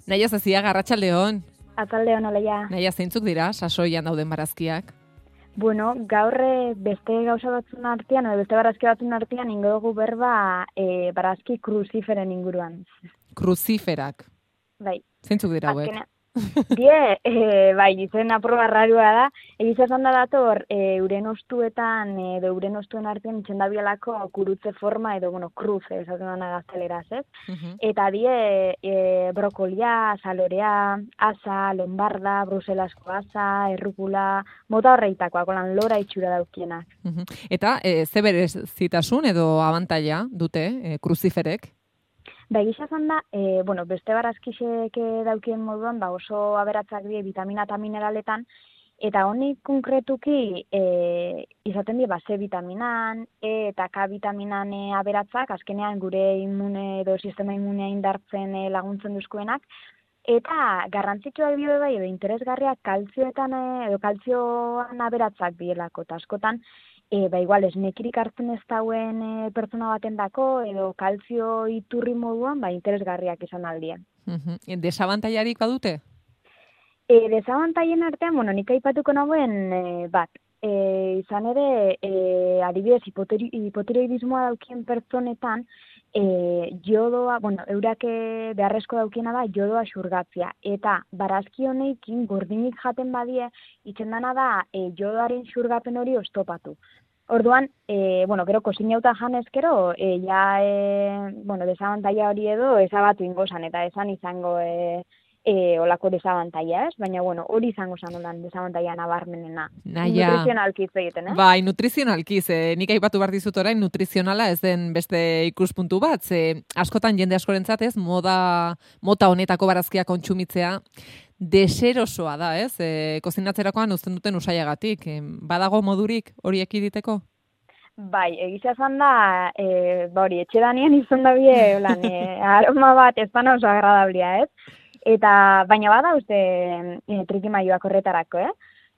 Naia Zaziaga, arratsaldeon. Ataldeon oleia. Naia, zeintzuk dira sasoian dauden barazkiak? Bueno, gaur beste gauza batzun artean, edo beste barazki batzun artean ingo dugu berba barazki kruziferen inguruan. Kruziferak. Bai. Zeintzuk dira hauek? Bai, izen aproba rarua da. Egiz esan da dator, euren ostuetan, edo euren ostuen artean itxendabialako kurutze forma, edo, kruz, esaten dana gazteleraz, ez? Eta brokolia, salorea, asa, lombarda, bruselasko asa, errukula, mota horreitakoak, olan lora itxura daukienak. Eta, ze berezitasun edo abantaila dute kruziferek? Egia esan da, beste barazkixek daukien moduan, oso aberatzak die vitamina eta mineraletan, eta honik konkretuki izaten die C vitaminan, E eta K vitaminan aberatzak, azkenean gure immune edo sistema immunea indartzen laguntzen duzkoenak, eta garrantzitsua dio bai edo interesgarriak kaltzioetan edo kaltzioan aberatzak dielako, eta askotan, igual esnekirik hartzen ez dauen pertsona baten dako, edo kaltzio iturri moduan, interesgarriak izan aldien. Desabantailarik badute? Desabantaien artean, nik aipatuko nagoen bat. Izan ere, adibidez, hipotiroidismoa daukien pertsonetan, jodoa, eurak beharrezko daukiena da jodoa xurgatzia. Eta barazki honekin gordinik jaten badie, itxendana da jodoaren xurgapen hori oztopatu. Orduan, gero kozinauta janezkero, desabantaia hori edo ezabatu ingozan, eta esan izango olako desabantaia, ez? Baina, hori izango zan olan desabantaia nabarmenena. Naia. Nutrizionalkiz egiten, eh? Bai, nutrizionalkiz. Nik aipatu behar dizut orain, nutrizionala ez den beste ikuspuntu bat. Askotan jende askorentzat ez, mota honetako barazkia kontsumitzea deserosoa da, ez? Kozinatzerakoan uzten duten usaiagatik. Badago modurik hori ekiditeko? Bai, egizia zan da, etxedanien izan da bie, aroma bat ez dana oso agradablia, ez? Eta, baina bada uste trikimaioak horretarako,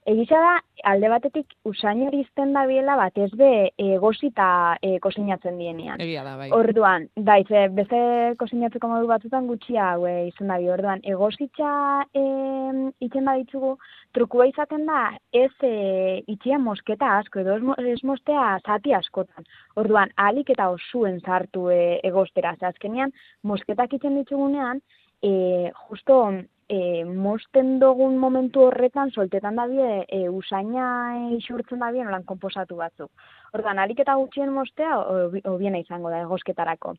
Egizia da, alde batetik usain hori izten da biela bat ez be egosita kozinatzen dienean. Egia da, bai. Orduan, beste kozinatzeko modu batzutan gutxia hau izan da bi. Orduan, egositza itzen baditzugu, trukua izaten da ez itxia mosketa asko, edo ez mostea zati askotan. Orduan, ahalik eta osuen sartu egostera. Azkenean, mosketak itzen ditzugunean, justo mosten dugun momentu horretan soltetan dabie usaina isurtzen dabie nolan konposatu batzuk. Orduan, alik eta gutxien mostea hobiena izango da egosketarako.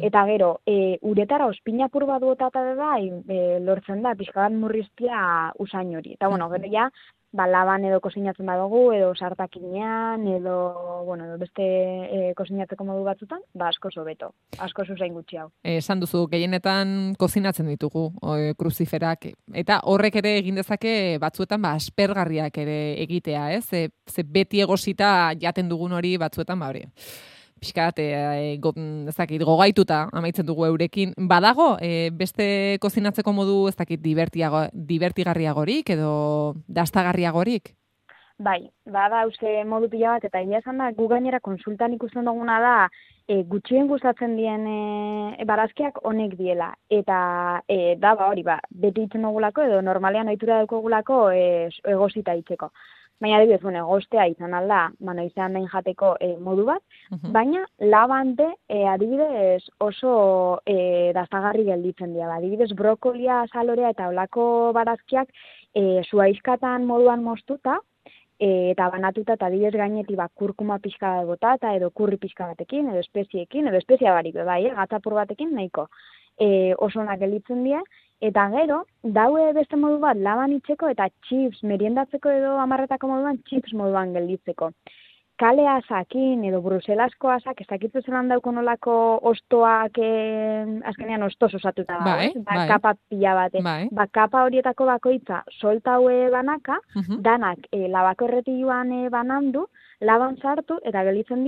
Eta gero, uretara ospinapur bat botata da lortzen da pixka bat murriztia usain hori. Eta gero ja, laban edo kozinatzen badugu, edo sartakinean, edo beste kozinatzeko modu batzutan, asko hobeto, asko zuzain gutxi hau. Esan duzu, gehienetan kozinatzen ditugu kruziferak, eta horrek ere egin dezake batzuetan aspergarriak ere egitea, ez? Ze beti egosita jaten dugun hori batzuetan hori. Piskat, gogaituta amaitzen dugu eurekin. Badago, beste kozinatzeko modu, divertigarriagorik edo dastagarriagorik? Bai, bada uste modu pila bat, eta egia esan da, gu gainera konsultan ikusten duguna da, gutxien gustatzen dien barazkiak honek diela. Eta beti itzen dugulako, edo normalean ohitura daukagulako egosita itzeko. Baina adibidez, egostea izan alda, izan behin jateko modu bat, baina labante adibidez oso dastagarri gelditzen dira. Adibidez, brokolia, salorea eta olako barazkiak zuaizkatan moduan moztuta, eta banatuta eta adibidez gainetik kurkuma pixka bat botata, edo kurri pixka batekin, edo espeziekin, edo espezia barik, gatzapur batekin nahiko oso onak gelditzen dira. Eta gero, daue beste modu bat laban itzeko eta chips meriendatzeko edo amarretako moduan chips moduan gelditzeko. Kale asakin edo bruselasko asak, ez dakitzu zelan dauko nolako ostoak azkenean ostos osatuta da, kapa pila bate. Kapa horietako bakoitza soltaue banaka, danak labako erretiluan banandu, laban sartu, eta gelitzen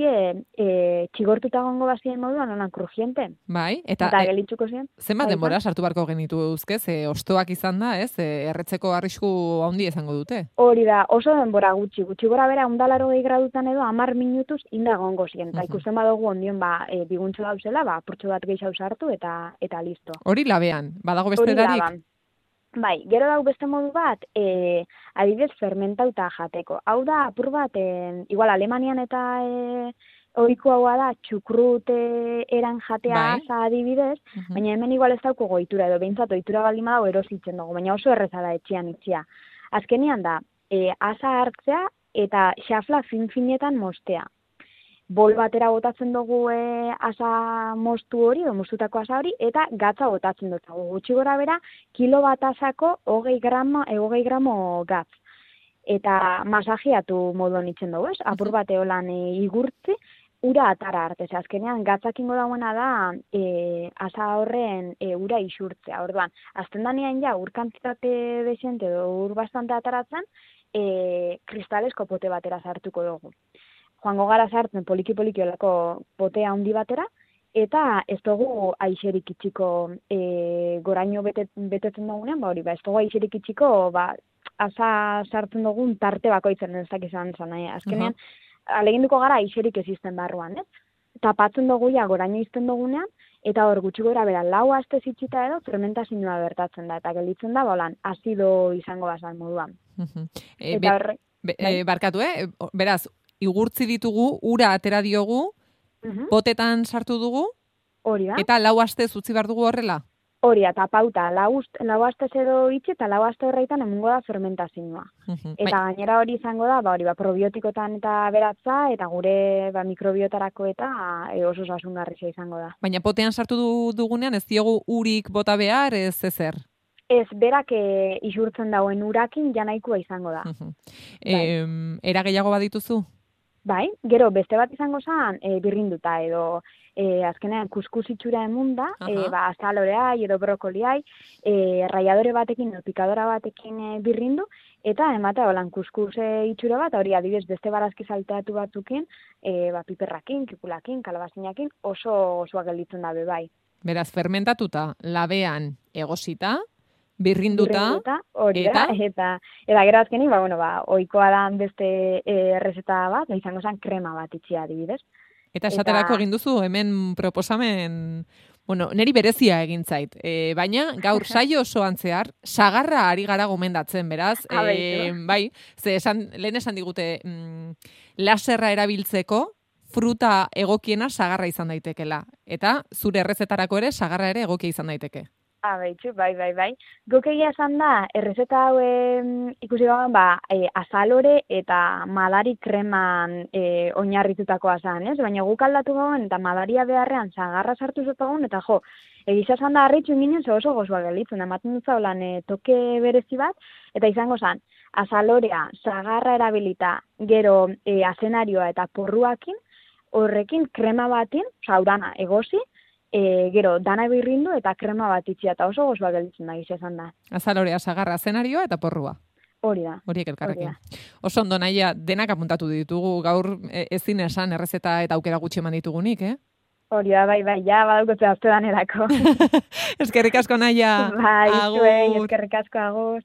txigortuta gongo bazien moduan, onan krujiente. Bai, eta gelitzuko ziren. Zenbat denbora sartu barko genitu euzke, ostoak izan da, ez? Erretzeko arrisku handi izango dute. Hori da, oso denbora gutxi gora bera, 180 gradutan edo 10 minutuz inda gongo ziren. Eta ikusten badugu ondion, biguntxo dauzela, apurtxo bat gehiago sartu, eta listo. Hori labean, badago beste darik? Bai, gero dago beste modu bat, adibidez fermentauta jateko. Hau da, apur bat, igual Alemanian eta ohiko haua da, txukrut eran jatea asa adibidez, baina hemen igual ez dauko goitura, edo behintzat ohitura baldin badago erositzen dugu, baina oso erreza da etxean itxia. Azkenean da, asa hartzea eta xafla fin-finetan mostea. Bol batera botatzen dugu asa moztu hori, edo moztutako asa hori, eta gatza botatzen dut. Gutxi gora bera, kilo bat asako 20 gramo gatz. Eta masajiatu modu nitzen dugu, ez? Apur bat eolan igurtzi, ura atara arte. Azkenean, gatzakingo dagoena da asa horren ura isurtzea. Orduan, azten danean ja, ur kantitate desente edo ur bastante ataratzen, kristalesko pote batera sartuko dugu. Joango gara sartzen poliki-poliki olako potea handi batera, eta ez dugu aixerik itxiko goraino betetzen dugunean, ez dugu aixerik itxiko, asa sartzen dugun tarte bakoitzen ez dakizan zan. Azkenean, aleginduko gara aixerik ezisten barruan, ez? Tapatzen dugu ja goraino izten dugunean, eta hor gutxi gora bera, 4 aste zitxita edo fermentazioa bertatzen da, eta gelditzen da, azido izango bazan moduan. Barkatu, beraz, igurtzi ditugu, ura atera diogu, potetan sartu dugu, hori da. Eta 4 aste utzi behar dugu horrela? Hori, eta pauta, 4 aste edo itxi, eta 4 aste horreitan emungo da fermentazioa. Eta gainera hori izango da, probiotikotan eta beratza, eta gure mikrobiotarako eta oso osasungarria izango da. Baina potean sartu dugunean ez diogu urik bota behar, ez ezer? Ez, berak isurtzen dauen urakin janaikua izango da. Era gehiago badituzu? Bai, gero beste bat izango zen birrinduta edo azkenean kuskus itxura emunda, azalorea edo brokoliai, raiadore batekin edo pikadora batekin birrindu, eta ematea holan kuskus itxura bat, hori adibidez beste barazki salteatu batzukin, piperrakin, kikulakin, kalabazinakin, oso gelditzen da bai. Beraz, fermentatuta, labean egosita, birrinduta, hori da, eta gero azkenin, ohikoa da beste errezeta bat, izango zen krema bat itxia adibidez. Eta esaterako egin duzu, hemen proposamen, neri berezia egin zait, baina gaur saio osoan zehar, sagarra ari gara gomendatzen, beraz, bai, lehen esan digute, laserra erabiltzeko, fruta egokiena sagarra izan daitekela, eta zure errezetarako ere, sagarra ere egokia izan daiteke. Bai. Guk egia esan da, errezeta hau ikusi gauen, azalore eta madari kreman oinarritutakoa zen, ez? Baina guk aldatu gauen eta madaria beharrean sagarra sartu zutagun, eta egisa esan da harritxu inginen oso gozoa gelitzen, ematen dut zaulan toke berezi bat, eta izango zen, azalorea, sagarra erabilita, gero azenarioa eta porruakin, horrekin krema batin, saurana egosi, gero, dana birrindu eta krema bat itxia, eta oso gozoa gelditzen da, izan da. Azalorea, sagarra, zenarioa eta porrua. Hori da. Horiek elkarrekin. Oso ondo naia, denak apuntatu ditugu, gaur ezin esan errezeta eta aukera gutxi eman ditugunik, Hori da, bai, ja, badaukotzea azte danerako. Eskerrik asko naia. Bai, eskerrik asko agur.